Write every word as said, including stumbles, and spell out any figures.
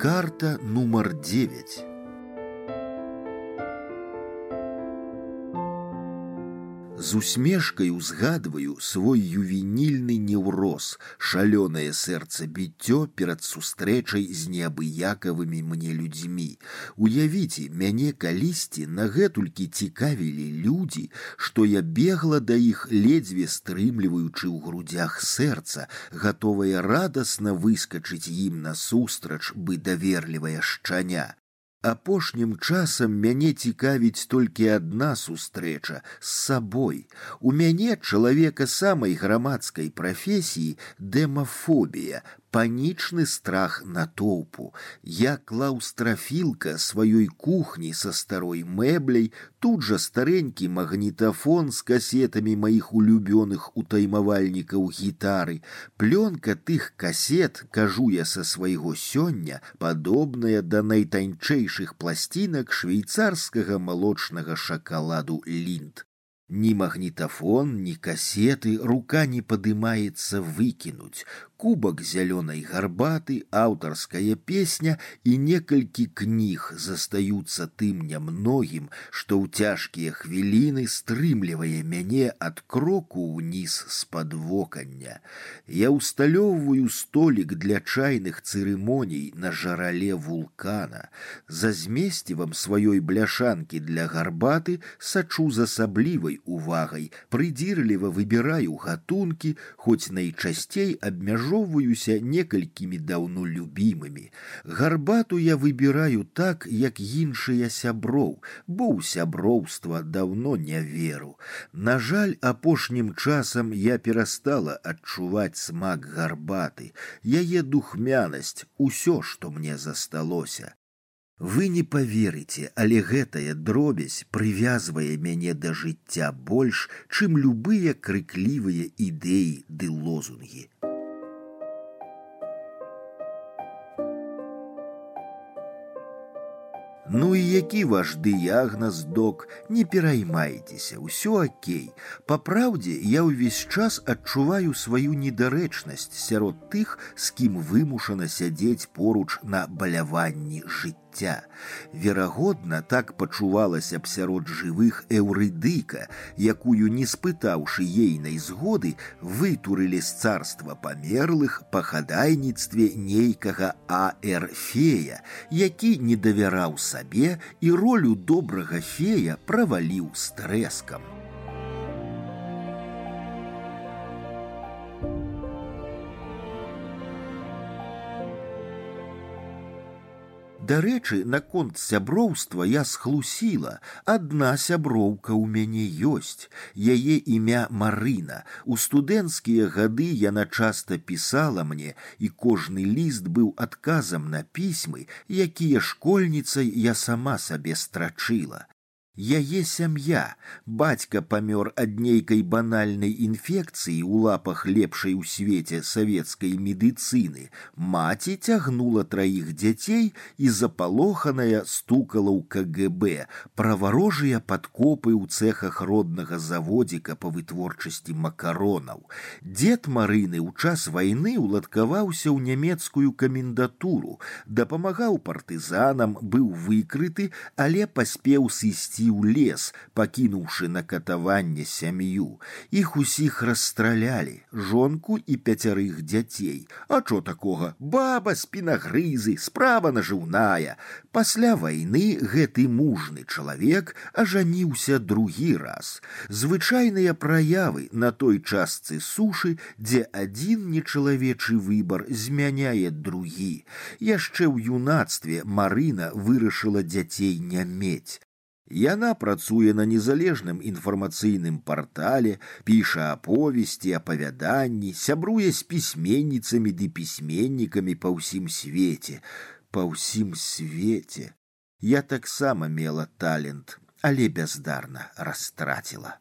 Карта нумар девять. З усмешкай узгадваю свой ювенільны неўроз, шалёнае сэрцабіццё перад сустрэчай з неабыякавымі мне людзьмі. Уявіце, мяне калісьці нагэтулькі цікавілі людзі, што я бегла да іх, ледзьве стрымліваючы ў грудзях сэрца, гатовая радасна выскачыць ім насустрач, бы даверлівая шчаня. Апошнім часам мяне цікавіць толькі адна сустрэча з сабой. У мяне, чалавека самай грамадскай прафесіі, дэмафобія, панічны страх натоўпу. Я клаўстрафілка сваёй кухні са старой мэбляй, тут жа старэнькі магнітафон з касетамі маіх улюбёных утаймавальнікаў гітары. Плёнка тых касет, кажу я са свайго сёння, падобная да найтанчэйшых пласцінак швейцарскага малочнага шакаладу Линд. Ни магнітафон, ни касеты рука не падымаецца выкінуць. Кубак зялёнай гарбаты, аўтарская песня і некалькі кніг застаюцца тым нямногім, што ў цяжкія хвіліны стрымлівае мяне ад кроку ўніз з-пад вокання. Я ўсталёўваю столік для чайных цырымоній на жарале вулкана. За змесцівам сваёй бляшанкі для гарбаты сачу з асаблівай увагай, прыдзірліва выбіраю гатункі, хоць найчасцей абмяжоўваюся некалькімі даўно любімымі. Гарбату я выбіраю так, як іншыя сяброў, бо ў сяброўства даўно не веру. На жаль, апошнім часам я перастала адчуваць смак гарбаты, яе духмянасць, усё, што мне засталося. Вы не поверыце, але гэтая дробязь прывязвае мяне да жыцця больш, чым любыя крыклівыя ідэі ды лозунгі. Ну і які ваш дыягназ, док, не пераймайцеся, усё акей. Па праўдзе, я ўвесь час адчуваю сваю недарэчнасць сярод тых, з кім вымушана сядзець поруч на баляванні жыцця. Верагодна, так пачувалася б сярод жывых Эўрыдыка, якую, не спытаўшы ейнай згоды, вытурылі з царства памерлых па хадайніцтве нейкага А Р Фея, які не давяраў сабе і ролю добрага фея праваліў з трэскам. Дарэчы, наконт сяброўства я схлусіла. Адна сяброўка ў мяне ёсць. Яе імя Марына. У студэнцкія гады яна часта пісала мне, і кожны ліст быў адказам на пісьмы, якія школьніцай я сама сабе страчыла. Яе сям'я. Бацька памёр ад нейкай банальнай інфекцыі ў лапах лепшай у свеце савецкай медыцыны. Маці цягнула траіх дзяцей і запалоханая стукала ў К Г Б пра варожыя падкопы ў цэхах роднага заводзіка па вытворчасці макаронаў. Дзед Марыны ў час вайны уладкаваўся ў нямецкую камендатуру, дапамагаў партызанам, быў выкрыты, але паспеў сысці ў лес, пакінуўшы на катаванне сям'ю. Іх усіх расстралялі, жонку і пяцярых дзяцей. А чо такога? Баба, спінагрызы, справа нажыўная. Пасля вайны гэты мужны чалавек ажаніўся другі раз. Звычайныя праявы на той частцы сушы, дзе адзін нечалавечы выбар змяняе другі. Яшчэ ў юнацтве Марына вырашыла дзяцей не мець. Яна працуе на незалежным інфармацыйным партале, піша аповесці, апавяданні, сябруе з пісьменніцамі ды пісьменнікамі па ўсім свеце. Па ўсім свеце. Я таксама мела талент, але бяздарна растраціла.